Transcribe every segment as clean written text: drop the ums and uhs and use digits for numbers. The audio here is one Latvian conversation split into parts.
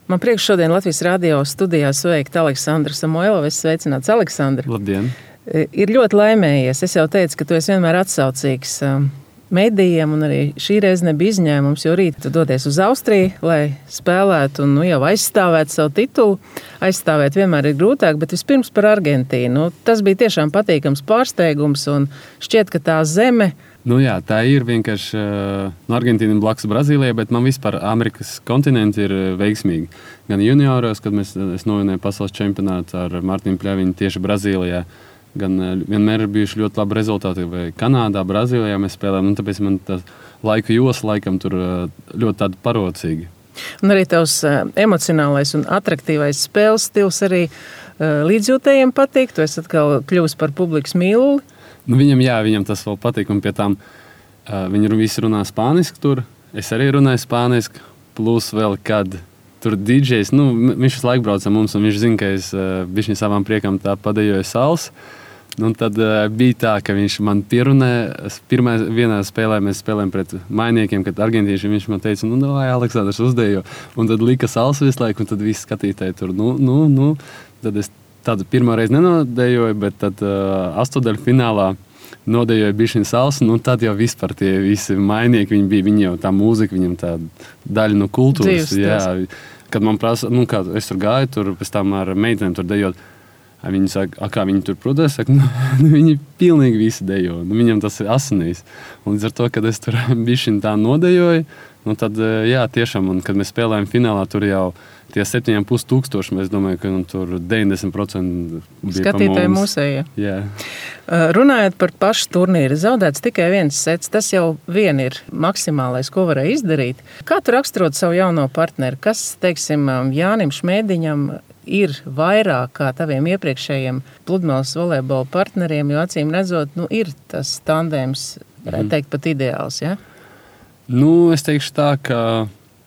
Man prieks šodien Latvijas radio studijā sveikt Aleksandru Samoilovu. Es sveicināts, Aleksandru. Labdien! Ir ļoti laimējies. Es jau teicu, ka tu esi vienmēr atsaucīgs medijiem, un arī šī reize nebija izņēmums, jo rīt tu dodies uz Austriju, lai spēlētu un jau aizstāvētu savu titulu. Aizstāvēt vienmēr ir grūtāk, bet vispirms par Argentīnu. Tas bija tiešām patīkams pārsteigums, un šķiet, ka tā zeme... Jā, tā ir vienkārši Argentīna blakus Brazīlijai, bet man vispār Amerikas kontinenti ir veiksmīgi. Gan junioros, kad es novinēju pasaules čempionātu ar Martinu Pļaviņu tieši Brazīlijā, gan vienmēr ir bijuši ļoti labi rezultāti. Vai Kanādā, Brazīlijā mēs spēlējam, un tāpēc man tā laika josla laikam tur ļoti tāda parocīga. Un arī tavs emocionālais un atraktīvais spēles stils arī līdzjūtējiem patīk. Tu esi atkal kļuvis par publikas mīluli. Viņam tas vēl patīk, un pie tām viņi visi runā spāniski tur. Es arī runāju spāniski, plus vēl, kad tur DJs, viņš visu laiku brauc ar mums, un viņš zina, ka es bišķiņ savām priekām tā padejoju sals. Tad bija tā, ka viņš man pierunāja. Vienā spēlē mēs spēlējām pret mainiekiem, kad argentīši viņš man teica, vai Aleksandrs uzdejo. Un tad lika sals visu laiku, un tad visi skatītāji tur, Tad es tādu pirmo reizi nenodejoju, bet tad astotdaļu finālā nodejoju bišķiņ sals, un tad jau vispār tie visi mainieki, viņi jau tā mūzika, viņam tā daļa no kultūras. Jā, kad man prasa, kā es tur gāju, tur pēc tam ar meitenēm tur dejot, viņi saka, kā viņi tur protēs, viņi pilnīgi visi dejo, viņam tas ir asinīs. Un līdz ar to, kad es tur bišķiņ tā nodejoju, tad, jā, tiešām, un kad mēs spēlējam finālā, tur jau tie 7,5 tūkstoši, mēs domāju, ka tur 90% bija skatītāji mūsējie. Jā. Runājot par pašu turnīru, zaudēts tikai viens sets, tas jau vien ir maksimālais, ko varēja izdarīt. Kā tu raksturot savu jauno partneri? Kas, teiksim, Jānim Šmēdiņam ir vairāk kā taviem iepriekšējiem pludmales volejbola partneriem, jo acīm redzot, ir tas tandēms, varētu teikt, pat ideāls, ja? Es teikšu tā, ka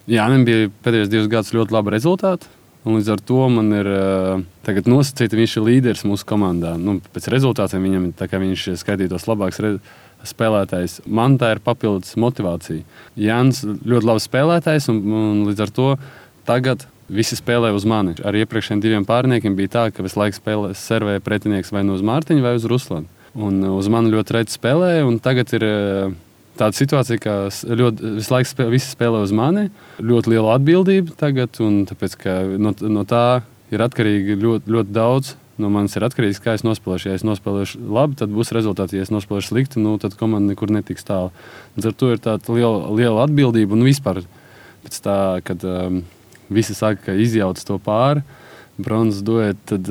Jānim bija pēdējos 2 gadus ļoti labi rezultāti, un līdz ar to man ir tagad nosacīta, viņš ir līderis mūsu komandā. Pēc rezultātiem viņam tā kā viņš skaitītos labāks spēlētājs. Man tā ir papildus motivācija. Jānis ļoti labs spēlētājs, un līdz ar to tagad visi spēlē uz mani. Ar iepriekšējiem 2 pārniekiem bija tā, ka visu laiku servēja pretinieks vai uz Mārtiņu vai uz Ruslanu. Un uz mani ļoti reti spēlēja, un tagad ir tāda situācija, ka visu laiku visi spēlē uz mani, ļoti liela atbildība tagad, un tāpēc, ka no tā ir atkarīgi ļoti, ļoti daudz. No manis ir atkarīgs, kā es nospēlēšu. Ja es nospēlēšu labi, tad būs rezultāti. Ja es nospēlēšu slikti, tad komanda nekur netiks tālu. Ar to ir tāda liela atbildība, un vispār pēc tā, kad visi saka, ka izjauc to pāri, bronzas duet, tad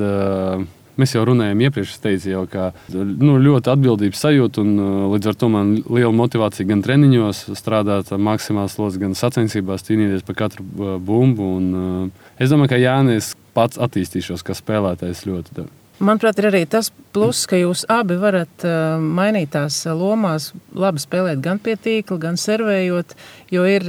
mēs jau runājām iepriekš, es teicu jau, ka ļoti atbildības sajūta, un līdz ar to man liela motivācija gan treniņos strādāt maksimāls slods, gan sacensībās cīnīties par katru bumbu. Un es domāju, ka Jānis pats attīstīšos kā spēlētājs ļoti. Manuprāt, ir arī tas pluss, ka jūs abi varat mainīt tās lomās, labi spēlēt gan pie tīkla, gan servējot, jo ir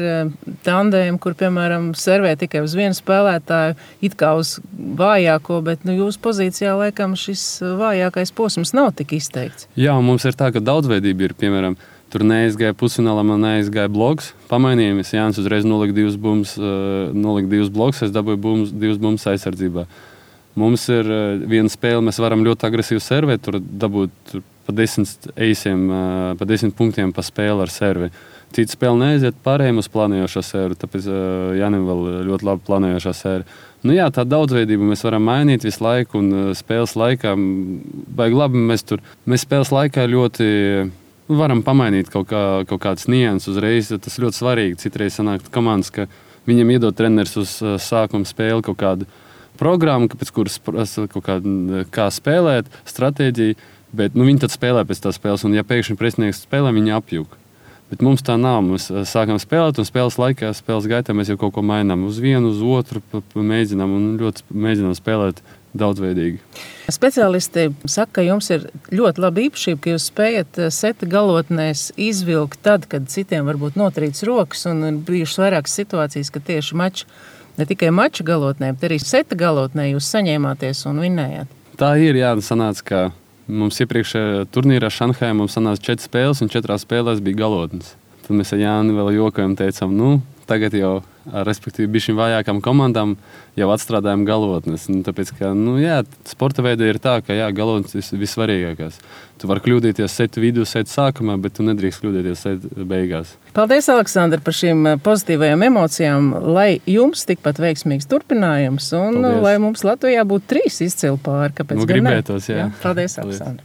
tandēmi, kur, piemēram, servē tikai uz vienu spēlētāju, it kā uz vājāko, bet jūsu pozīcijā, laikam, šis vājākais posms nav tik izteikts. Jā, mums ir tā, ka daudzveidība ir, piemēram, tur neaizgāja pusfinālā, man neaizgāja bloks, pamainījāmies, Jānis uzreiz nolika 2 bloks, es dabūju 2 bumbas aizsardzībā. Mums ir viena spēle, mēs varam ļoti agresīvi servēt, tur dabūt pa 10 eisiem, pa 10 punktiem pa spēli ar servi. Cita spēle neaiziet pārējiem uz planējošā servi, tāpēc Jānim vēl ļoti labi planējošā servi. Jā, tā daudzveidība mēs varam mainīt visu laiku, un spēles laikā, baigi labi, mēs spēles laikā ļoti varam pamainīt kaut kādas nianses uzreiz, tas ļoti svarīgi. Citreiz sanāk komandas, ka viņam iedod treneris uz sākuma spēli kaut kādu programmu, pēc kuras kā spēlēt, stratēģiju, bet viņi tad spēlē pēc tās spēles, un ja pēkšņi pretinieks spēlē, viņi apjūk. Bet mums tā nav. Mēs sākam spēlēt, un spēles laikā, spēles gaitā mēs jau kaut ko mainām. Uz vienu, uz otru mēģinām, un ļoti mēģinām spēlēt daudzveidīgi. Speciālisti saka, ka jums ir ļoti laba īpašība, ka jūs spējat seta galotnēs izvilkt tad, kad citiem varbūt notrīc rokas, un ir bijušas vairākas situācijas, ka tieši ne tikai mača galotnē, bet arī seta galotnē jūs saņēmāties un vinnējāt. Tā ir, jā, sanāca, ka mums iepriekšējā turnīrā Šanhajā mums sanāca 4 spēles, un 4 spēlēs bija galotnes. Tad mēs ar Jāni vēl jokojam, teicām, tagad jau respektīvi bišķiņ vājākām komandām jau atstrādājam galotnes. Tāpēc, ka, sporta veida ir tā, ka galotnes ir vissvarīgākās. Tu vari kļūdīties setu vidū, setu sākumā, bet tu nedrīkst kļūdīties setu beigās. Paldies, Aleksandr, par šīm pozitīvajām emocijām. Lai jums tikpat veiksmīgs turpinājums un lai mums Latvijā būtu 3 izcili pāri. Kāpēc gan ne? Gribētos, jā. Paldies, Aleksandr.